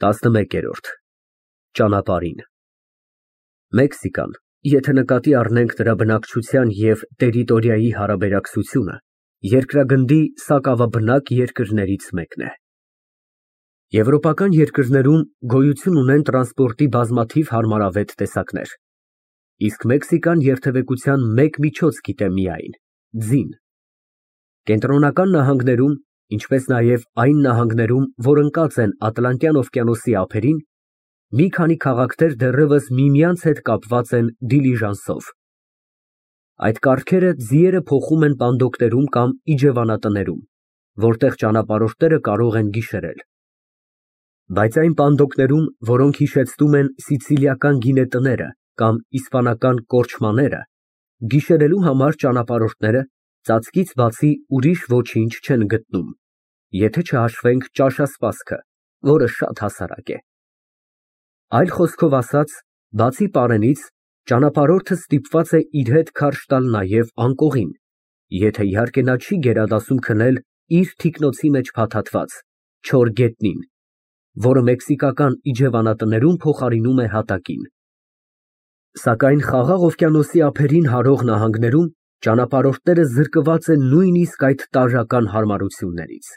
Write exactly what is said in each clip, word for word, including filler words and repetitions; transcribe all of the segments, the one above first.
տասնմեկերորդ Ճանապարհին Մեքսիկան, եթե նկատի առնենք նրա բնակչության և տերիտորիայի հարաբերակցությունը, երկրագնդի սակավաբնակ երկրներից մեկն է։ Եվրոպական երկրներում գոյություն ունեն տրանսպորտի բազմաթիվ հարմարավետ տեսակներ, իսկ Մեքսիկան երթևեկության մեկ միջոց գիտե միայն՝ ձին։ Կենտրոնական նահանգներում, ինչպես նաև այն նահանգներում, որ ընկած են Ատլանտյան օվկիանոսի ափերին, մի քանի քաղաքներ դեռևս միմյանց հետ կապված են դիլիժանսով։ Այդ կառքերը ձիերը փոխում են պանդոկներում կամ իջևանատներում, որտեղ ճանապարհորդները կարող են գիշերել։ Բայց այն պանդոկներում, որոնք հիշեցնում են սիցիլիական գինետները կամ իսպանական կորչմաները, գիշերելու համար ճանապարհորդները ծածկից բացի ուրիշ ոչինչ չեն գտնում, եթե չհաշվենք ճաշասպասքը, որը շատ հասարակ է։ Այլ խոսքով ասած, բացի պարենից, ճանապարհորդը ստիպված է իր հետ քարշ տալ նաև անկողին, եթե իհարկե նա չի գերադասում քնել իր թիկնոցի մեջ փաթաթված չոր գետնին, որը մեքսիկական իջևանատներում փոխարինում է հատակին։ Սակայն Խաղաղ օվկիանոսի ափերին հարող նահանգներում ճանապարհորդները զրկված են նույնիսկ այդ տարրական հարմարություններից։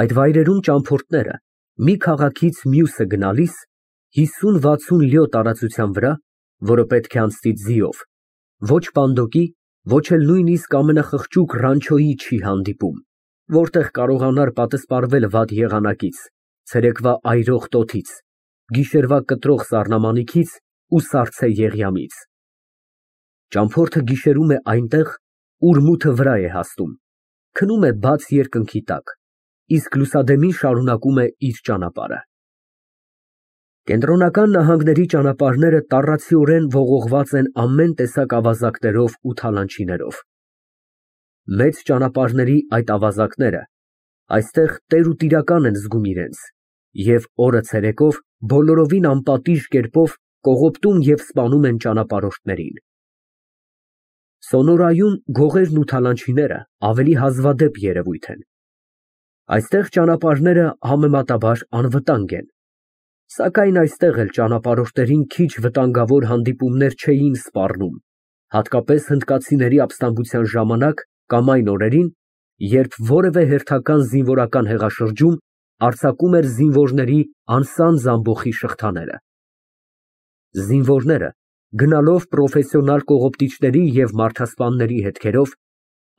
Այդ վայրերում ճամփորդները մի քաղաքից մյուսը գնալիս հիսուն֊վաթսուն լյո տարածության վրա, որը պետք է անցնի ձիով, ոչ պանդոկի, ոչ էլ նույնիսկ ամենախղճուկ ռանչոյի չի հանդիպում, որտեղ կարողանար պատսպարվել վատ եղանակից, ցերեկվա այրող տոթից, գիշերվա կտրող սառնամանիքից ու սառցե եղյամից։ Ճամփորդը գիշերում է այնտեղ, ուր մութը վրա է հասնում, քնում է բաց երկնքի տակ, իսկ լուսադեմին շարունակում է իր ճանապարհը։ Կենտրոնական նահանգների ճանապարհները տառացիորեն ողողված են ամեն տեսակ ավազակներով ու թալանչիներով։ Մեծ ճանապարհների այդ ավազակները այստեղ տերուտիրական են զգում իրենց և օրը ցերեկով բոլորովին անպատիժ կերպով կողոպտում և սպանում են ճանապարհորդներին։ Սոնորայում գողերն ու թալանչիները ավելի հազվադեպ երևույթ են։ Այստեղ ճանապարհները համեմատաբար անվտանգ են, սակայն այստեղ էլ ճանապարհորդներին քիչ վտանգավոր հանդիպումներ չէին սպառնում, հատկապես հնդկացիների ապստամբության ժամանակ կամ այն օրերին, երբ որևէ հերթական զինվորական հեղաշրջում արձակում էր զինվորների անսանձ ամբոխի շղթաները։ Զինվորները, գնալով պրոֆեսիոնալ կողոպտիչների և մարդասպանների հետքերով,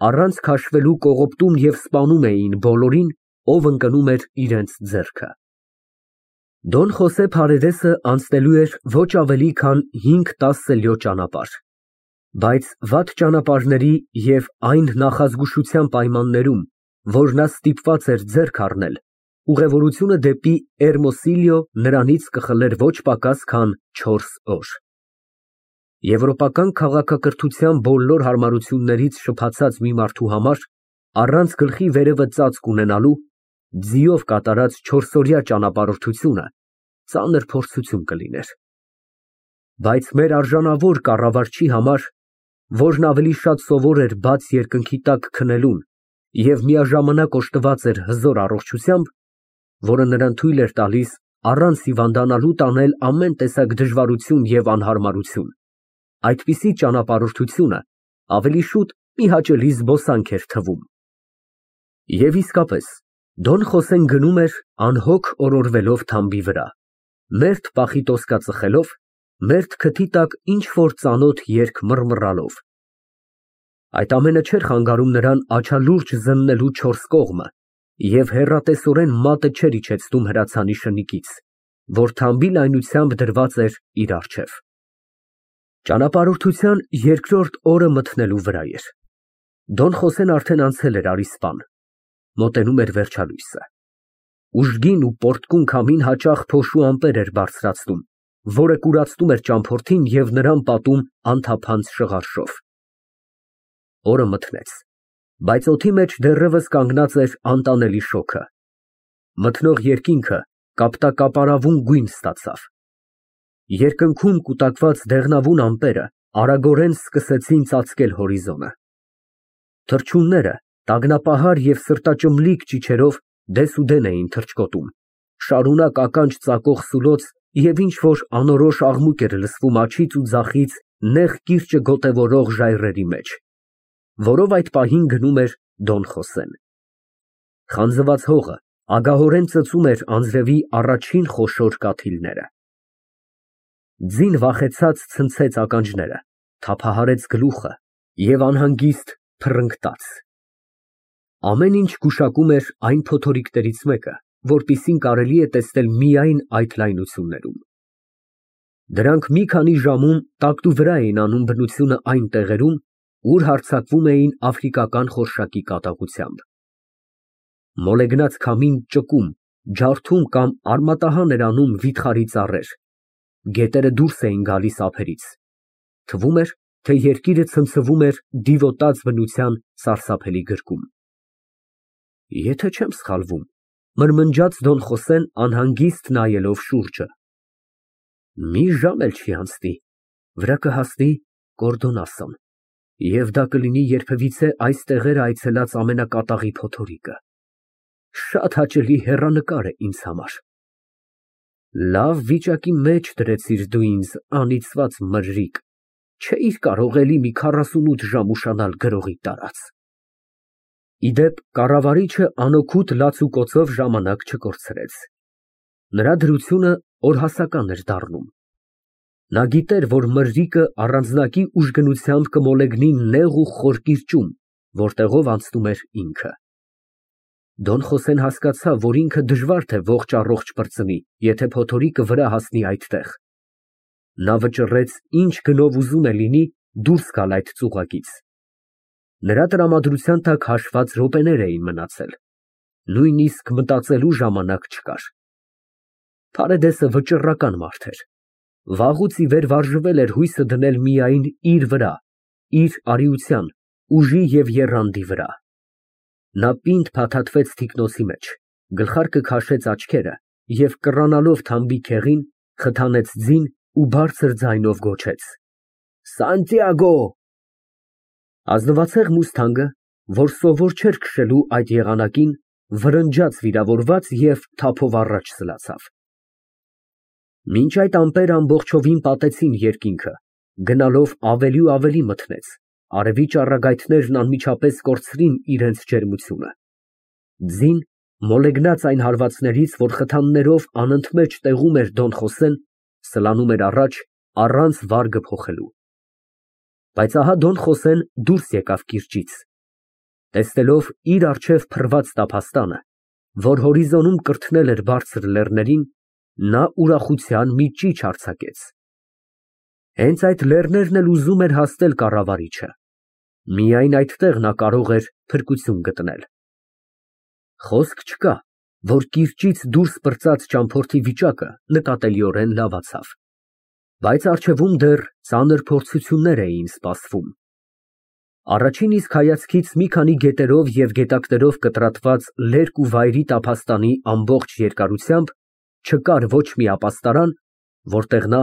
առանց քաշվելու կողոպտում և սպանում էին բոլորին, ով ընկնում էր իրենց ձեռքը։ Դոն Խոսե Փարեդեսը անցնելու էր ոչ ավելի քան հինգ֊տասը լյո ճանապարհ, բայց վատ ճանապարհների և այն նախազգուշության պայմաններում, որ նա ստիպված էր ձեռք առնել, ուղևորությունը դեպի Էրմոսիլիո նրանից կխլեր ոչ պակաս քան չորս օր։ Եվրոպական քաղաքակրթության բոլոր հարմարություններից շփաթած մի մարդու համար, առանց գլխի վերևը ծածկ ունենալու, ձիով կատարած չորսօրյա ճանապարհորդությունը ծանր փորձություն կլիներ։ Բայց մեր արժանավոր կառավարչի համար, որն ավելի շատ սովոր էր բաց երկնքի տակ քնելուն և միաժամանակ օժտված էր հզոր առողջությամբ, որը նրան թույլ էր տալիս առանց հիվանդանալու տանել ամեն տեսակ դժվարություն և անհարմարություն, այդպիսի ճանապարհորդությունը ավելի շուտ մի հաճելի զբոսանք էր թվում։ Եվ իսկապես, Դոն Խոսեն գնում էր անհոգ օրորվելով թամբի վրա, մերթ պախի տոսկա ծխելով, մերթ քթի տակ ինչ֊որ ծանոթ երգ մռմռալով։ Այդ ամենը չէր խանգարում նրան աչալուրջ զննելու չորս կողմը և հեռատեսորեն մատը չէր իջեցնում հրացանի շնիկից, որ թամբի լայնությամբ դրված էր իր առջև։ Ճանապարհորդության երկրորդ օրը մթնելու վրա էր։ Դոն Խոսեն արդեն անցել էր Արիսպան, մոտենում էր վերջալույսը։ Ուժգին ու պոռթկուն քամին հաճախ փոշու ամպեր էր բարձրացնում, որը կուրացնում էր ճամփորդին և նրան պատում անթափանց շղարշով։ Օրը մթնեց, բայց օդի մեջ դեռևս կանգնած էր անտանելի շոգը։ Մթնող երկինքը կապտակապարավուն գույն ստացավ։ Երկնքում կուտակված դեղնավուն ամպերը արագորեն սկսեցին ծածկել հորիզոնը։ Թռչունները տագնապահար և սրտաճմլիկ ճիչերով դեսուդեն էին թռչկոտում, շարունակ ականջ ծակող սուլոց և ինչ֊որ անորոշ աղմուկ էր լսվում աջից ու ձախից նեղ կիրճը գոտևորող ժայռերի մեջ, որով այդ պահին գնում էր Դոն Խոսեն։ Խանձված հողը ագահորեն ծծում էր անձրևի առաջին խոշոր կաթիլները։ Ձին վախեցած ցնցեց ականջները, թափահարեց գլուխը և անհանգիստ փռնգտաց։ Ամեն ինչ գուշակում էր այն փոթորիկներից մեկը, որպիսին կարելի է տեսնել միայն այդ լայնություններում։ Դրանք մի քանի ժամում տակտուվրա էին անում բնությունը այն տեղերում, ուր հարձակվում էին աֆրիկական խորշակի կատաղությամբ։ Մոլեգնած քամին ճկում, ջարդում կամ արմատահան էր անում վիթխարի ծառեր, գետերը դուրս էին գալիս ափերից, թվում էր, թե երկիրը ցնցվում էր դիվոտած բնության սարսափելի գրկում։ Եթե չեմ սխալվում, մրմնջաց Դոն Խոսեն անհանգիստ նայելով շուրջը, մի ժամ էլ չի անցնի, վրա կհասնի Կորդոնասոն, և դա կլինի երբևիցե այս տեղեր այցելած ամենակատաղի փոթորիկը։ Շատ հաճելի հեռանկար է ինձ համար։ Լավ վիճակի մեջ դրեցիր դու ինձ, անիծված մրրիկ, չէիր կարող էլի մի քառասունութ ժամ ուշանալ գրողի տարած։ Ի դեպ, կառավարիչը անօգուտ լացուկոցով ժամանակ չկորցրեց։ Նրա դրությունը օրհասական էր դառնում։ Նա գիտեր, որ մրրիկը առանձնակի ուժգնությամբ կմոլեգնի նեղ ու խոր կիրճում, որտեղով անցնում էր ինքը։ Դոն Խոսեն հասկացավ, որ ինքը դժվար թե ողջ֊առողջ պրծնի, եթե փոթորիկը վրա հասնի այդտեղ։ Նա վճռեց ինչ գնով ուզում է լինի դուրս գալ այդ ծուղակից։ Նրա տրամադրության տակ հաշված րոպեներ էին մնացել, նույնիսկ մտածելու ժամանակ չկար։ Փարեդեսը վճռական մարդ էր, վաղուց ի վեր վարժվել էր հույսը դնել միայն իր վրա, իր արիության, ուժի և եռանդի վրա։ Նա պինդ փաթաթվեց թիկնոցի մեջ, գլխարկը քաշեց աչքերը և կռանալով թամբի քեղին, խթանեց ձին ու բարձր ձայնով գոչեց. «Սանտիագո»։ Ազնվացեղ մուստանգը, որ սովոր չէր քշելու այդ եղանակին, վրնջաց վիրավորված և թափով առաջ սլացավ։ Մինչ այդ ամպերը ամբողջովին պատեցին երկինքը, գնալով ավելի ու ավելի մթնեց, արևի ճառագայթներն անմիջապես կորցրին իրենց ջերմությունը։ Ձին, մոլեգնած այն հարվածներից, որ խթաններով անընդմեջ տեղում էր Դոն Խոսեն, սլանում էր առաջ, առանց վարգը փոխելու։ Բայց ահա Դոն Խոսեն դուրս եկավ կիրճից։ Տեսնելով իր առջև փռված տափաստանը, որ հորիզոնում կրթնել էր բարձր լեռներին, նա ուրախության մի ճիչ արձակեց։ Հենց այդ լեռներն էլ ուզում էր հասնել կառավարիչը։ Միայն այդտեղ նա կարող էր փրկություն գտնել։ Խոսք չկա, որ կիրճից դուրս պրծած ճամփորդի վիճակը նկատելիորեն լավացավ։ Բայց առջևում դեռ ծանր փորձություններ էին սպասվում։ Առաջին իսկ հայացքից մի քանի գետերով և գետակներով կտրատված լերկ ու վայրի տափաստանի ամբողջ երկարությամբ չկար ոչ մի ապաստարան, որտեղ նա,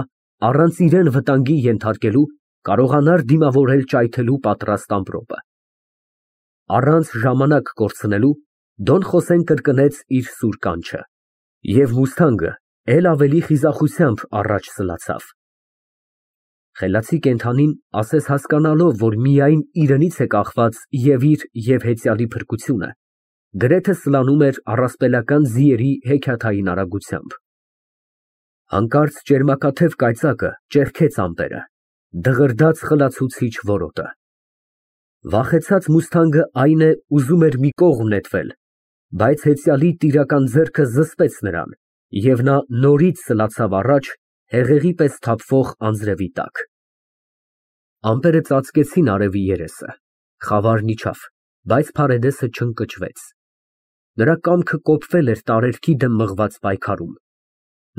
առանց իրան վտանգի ենթարկելու, կարողանար դիմավորել ճայթելու պատրաստ ամպրոպը։ Առանց ժամանակ կորցնելու, Դոն Խոսեն կրկնեց իր սուր կանչը, և մուստանգը էլ ավելի խիզախությամբ առաջ սլացավ։ Խելացի կենդանին, ասես հասկանալով, որ միայն իրենից է կախված և իր, և հեծյալի փրկությունը, գրեթե սլանում էր առասպելական ձիերի հեքիաթային արագությամբ։ Հանկարծ ճերմակաթև կայծակը ճեղքեց ամպերը, դղրդաց խլացուցիչ որոտը։ Վախեցած մուստանգը, այն է, ուզում էր մի կողմ նետվել, բայց հեծյալի տիրական ձեռքը զսպեց նրան, և նա նորից սլացավ առաջ հեղեղի պես թափվող անձրևի տակ։ Ամպերը ծածկեցին արևի երեսը, խավարն իջավ, բայց Փարեդեսը չընկճվեց։ Նրա կամքը կոփվել էր տարերքի դեմ մղված պայքարում։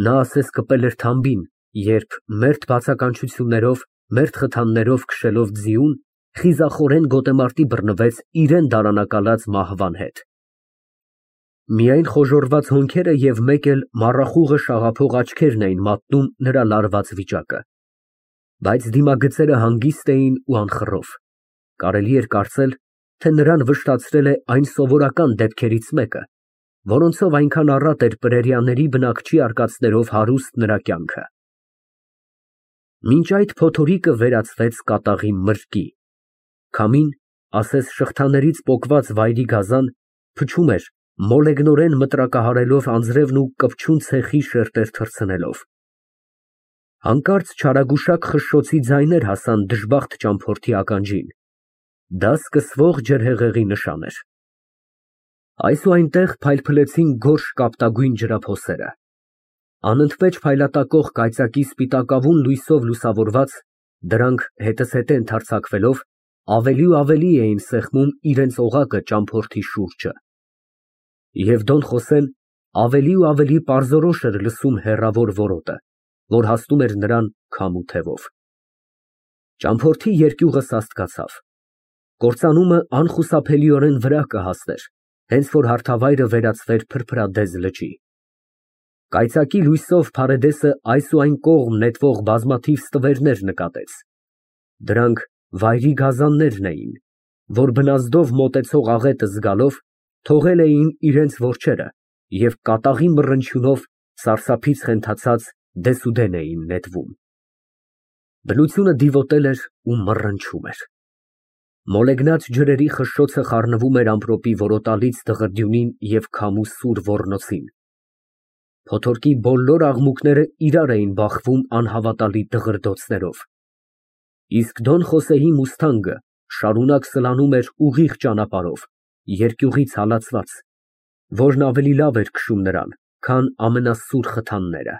Նա ասես կպել էր թամբին, երբ, մերթ բացականչություններով, մերթ խթաններով քշելով ձիուն, խիզախորեն գոտեմարտի բռնվեց իրան դարանակալած մահվան հետ։ Միայն խոժոռված հոնքերը և մեկ էլ մառախուղը շաղափող աչքերն էին մատնում նրա լարված վիճակը։ Բայց դիմագծերը հանգիստ էին ու անխռով, կարելի էր կարծել, թե նրան վշտացրել է այն սովորական դեպքերից մեկը, որոնցով այնքան առատ էր պրերիաների բնակչի արկածներով հարուստ նրա կյանքը։ Մինչ այդ փոթորիկը վերածվեց կատաղի մրրկի, քամին, ասես շղթաներից պոկված վայրի գազան, փչում էր մոլեգնորեն մտրակահարելով անձրևն ու կպչուն ցեխի շերտեր թռցնելով։ Հանկարծ չարագուշակ խշշոցի ձայներ հասան դժբախտ ճամփորդի ականջին, դա սկսվող ջրհեղեղի նշան էր։ Այս ու այնտեղ փայլփլեցին գորշ կապտագույն ջրափոսերը, անընդմեջ փայլատակող կայծակի սպիտակավուն լույսով լուսավորված, դրանք հետզհետե ընդարձակվելով ավելի ու ավելի էին սեղմում իրենց օղակը ճամփորդի շուրջը։ Եվ Դոն Խոսեն ավելի ու ավելի պարզորոշ էր լսում հեռավոր որոտը, որ հասնում էր նրան քամու թևով։ Ճամփորդի երկյուղը սաստկացավ, կործանումը անխուսափելիորեն վրա կհասներ, հենց որ հարթավայրը վերածվեր փրփրադեզ լճի։ Կայծակի լույսով Փարեդեսը այս ու այն կողմ նետվող բազմաթիվ ստվերներ նկատեց։ Դրանք վայրի գազաններն էին, որ բնազդով մոտեցող աղետը զգալով թողել էին իրենց որջերը և կատաղի մռնչյունով սարսափից խենթացած դեսուդեն էին նետվում։ Բնությունը դիվոտել էր ու մռնչում էր։ Մոլեգնած ջրերի խշշոցը խառնվում էր ամպրոպի որոտալից դղրդյունին և քամու սուր ոռնոցին։ Փոթորկի բոլոր աղմուկները իրար էին բախվում անհավատալի դղրդոցներով։ Իսկ Դոն Խոսեի մուստանգը շարունակ սլանում էր ուղիղ ճանապարհով, երկյուղից հալածված, որն ավելի լավ էր քշում նրան, քան ամենասուր խթանները։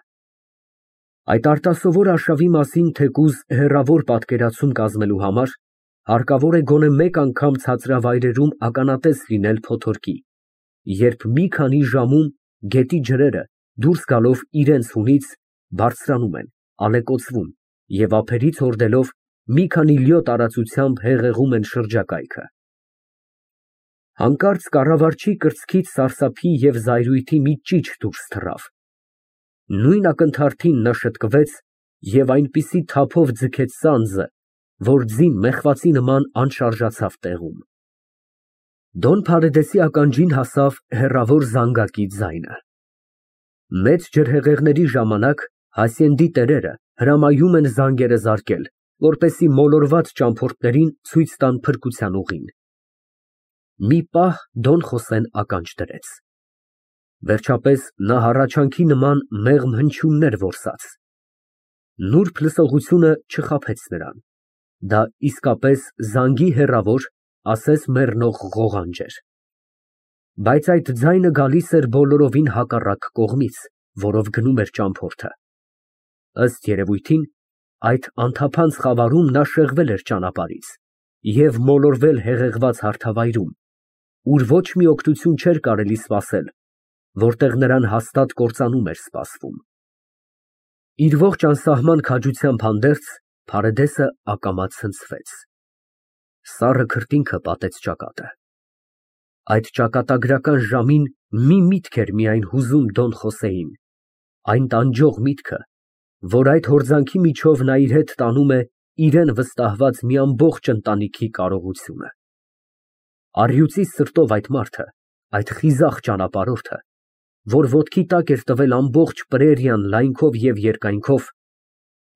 Այդ արտասովոր արշավի մասին թեկուզ հեռավոր պատկերացում կազմելու համար հարկավոր է գոնե մեկ անգամ ցածրավայրերում ականատես լինել փոթորկի, երբ մի քանի ժամում գետի ջրերը դուրս գալով իրենց հունից բարձրանում են, ալեկոծվում և ափերից հորդելով մի քանի լյո տարածությամբ հեղեղում են շրջակայքը։ Հանկարծ կառավարչի կրծքից սարսափի և զայրույթի մի ճիչ դուրս թռավ։ Նույն ակնթարթին նա շտկվեց և այնպիսի թափով ձգեց սանձը, որ ձին մեխվածի նման անշարժացավ տեղում։ Դոն Փարեդեսի ականջին հասավ հեռավոր զանգակի ձայնը։ Մեծ ջրհեղեղների ժամանակ Հասիենդի տերերը հրամայում են զանգերը զարկել, որպեսզի մոլորված ճամփորդներին ցույց տան փրկության ուղին։ Մի պահ Դոն Խոսեն ականջ դրեց։ Վերջապես նա հառաչանքի նման մեղմ հնչյուններ որսաց։ Նուրբ լսողությունը չխաբեց նրան, դա իսկապես զանգի հեռավոր, ասես մեռնող ղողանջ էր։ Բայց այդ ձայնը գալիս էր բոլորովին հակառակ կողմից, որով գնում էր ճամփորդը։ Ըստ երևույթին, այդ անթափանց խավարում նա շեղվել էր ճանապարհից և մոլորվել հեղեղված հարթավայրում, ուր ոչ մի օգնություն չէր կարելի սպասել, որտեղ նրան հաստատ կործանում էր սպասվում։ Իր ողջ անսահման քաջությամբ հանդերձ Փարեդեսը ակամա ցնցվեց։ Սառը քրտինքը պատեց ճակատը։ Այդ ճակատագրական ժամին մի միտք էր միայն հուզում Դոն Խոսեին, այն տանջող միտքը, որ այդ հորձանքի միջով նա իր հետ տանում է իրան վստահված մի ամբողջ ընտանիքի կարողությունը։ Առյուծի սրտով այդ մարդը, այդ խիզախ ճանապարհորդը, որ ոտքի տակ էր տվել ամբողջ պրերիան լայնքով և երկայնքով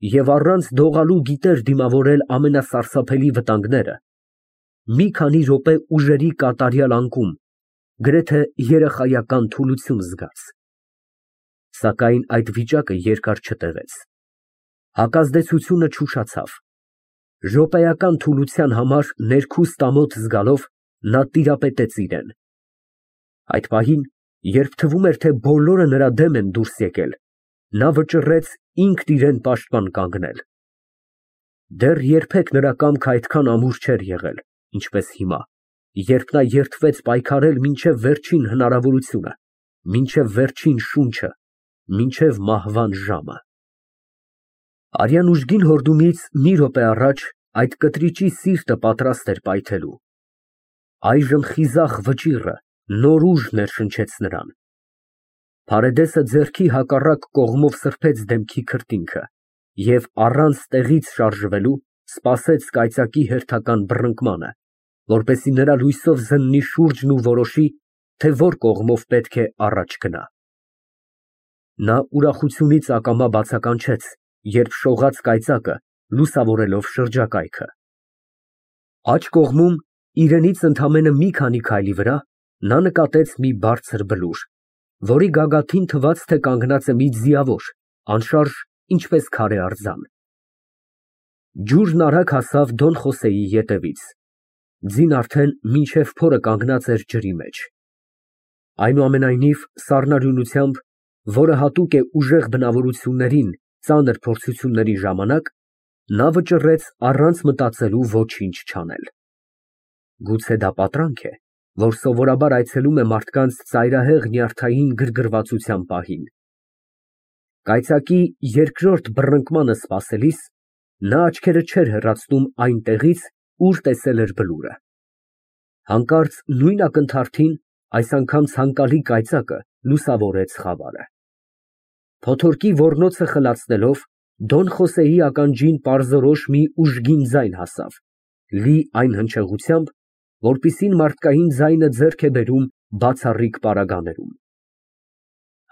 և առանց դողալու գիտեր դիմավորել ամենասարսափելի վտանգները, մի քանի րոպե ուժերի կատարյալ անկում, գրեթե երեխայական թուլություն զգաց։ Սակայն այդ վիճակը երկար չտևեց։ Հակազդեցությունը չուշացավ։ Րոպեական թուլության համար ներքուստ ամոթ զգալով նա տիրապետեց իրան։ Այդ պահին, երբ թվում էր, թե բոլորը նրա դեմ են դուրս եկել, նա վճռեց ինքն իրան պաշտպան կանգնել։ Դեռ երբեք նրա կամքը այդքան ամուր չէր եղել, ինչպես հիմա, երբ նա երդվեց պայքարել մինչև վերջին հնարավորությունը, մինչև վերջին շունչը, մինչև մահվան ժամը։ Արյան ուժգին հորդումից մի րոպե առաջ այդ կտրիճի սիրտը պատրաստ էր պայթելու։ Այժմ խիզախ վճիռը նոր ուժ ներշնչեց նրան։ Փարեդեսը ձեռքի հակառակ կողմով սրբեց դեմքի քրտինքը և առանց տեղից շարժվելու սպասեց կայծակի հերթական բռնկմանը, որպեսզի նրա լույսով զննի շուրջն ու որոշի, թե որ կողմով պետք է առաջ գնա։ Նա ուրախությունից ակամա բացականչեց, երբ շողաց կայծակը լուսավորելով շրջակայքը։ Աջ կողմում, իրենից ընդամենը մի քանի քայլի վրա, նա նկատեց մի բարձր բլուր, որի գագաթին թվաց, թե կանգնած է մի ձիավոր, անշարժ, ինչպես քարե արձան։ Ջուրն արագ հասավ Դոն Խոսեի ետևից։ Ձին արդեն մինչև փորը կանգնած էր ջրի մեջ։ Այնուամենայնիվ, սառնարյունությամբ, որը հատուկ է ուժեղ բնավորություններին ծանր փորձությունների ժամանակ, նա վճռեց առանց մտածելու ոչինչ չանել։ Գուցե դա պատրանք է, որ սովորաբար այցելում է մարդկանց ծայրահեղ նյարդային գրգռվածության պահին։ Կայծակի երկրորդ բռնկմանը սպասելիս, նա աչքերը չէր հեռացնում այն տեղից, ուր տեսել էր բլուրը։ Հանկարծ նույն ակնթարթին, այս անգամ ցանկալի կայծակը լուսավորեց խավարը։ Փոթորկի ոռնոցը խլացնելով, Դոն Խոսեի ականջին պարզորոշ մի ուժգին ձայն հասավ, լի այն հնչեղությամբ, որպիսին մարդկային ձայնը ձեռք է բերում բացառիկ պարագաներում։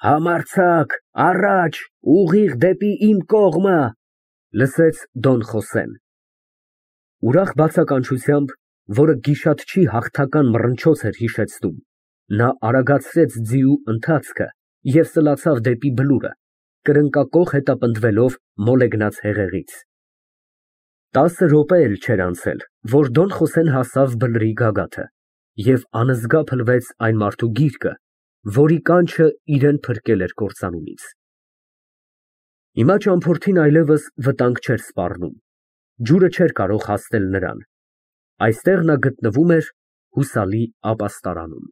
Համարձակ, առաջ, ուղիղ դեպի իմ կողմը, լսեց Դոն Խոսեն։ Ուրախ բացականչությամբ, որը գիշատչի հաղթական մռնչոց էր հիշեցնում, նա արագացրեց ձիու ընթացքը և սլացավ դեպի բլուրը, կրնկակոխ հետապնդվելով մոլեգնած հեղեղից։ Տասը րոպե էլ չէր անցել, որ Դոն Խոսեն հասավ բլրի գագաթը և անզգա փլվեց այն մարդու գիրկը, որի կանչը իրան փրկել էր կործանումից։ Հիմա ճամփորդին այլևս վտանգ չէր սպառնում, ջուրը չէր կարող հասնել նրան, այստեղ նա գտնվում էր հուսալի ապաստարանում։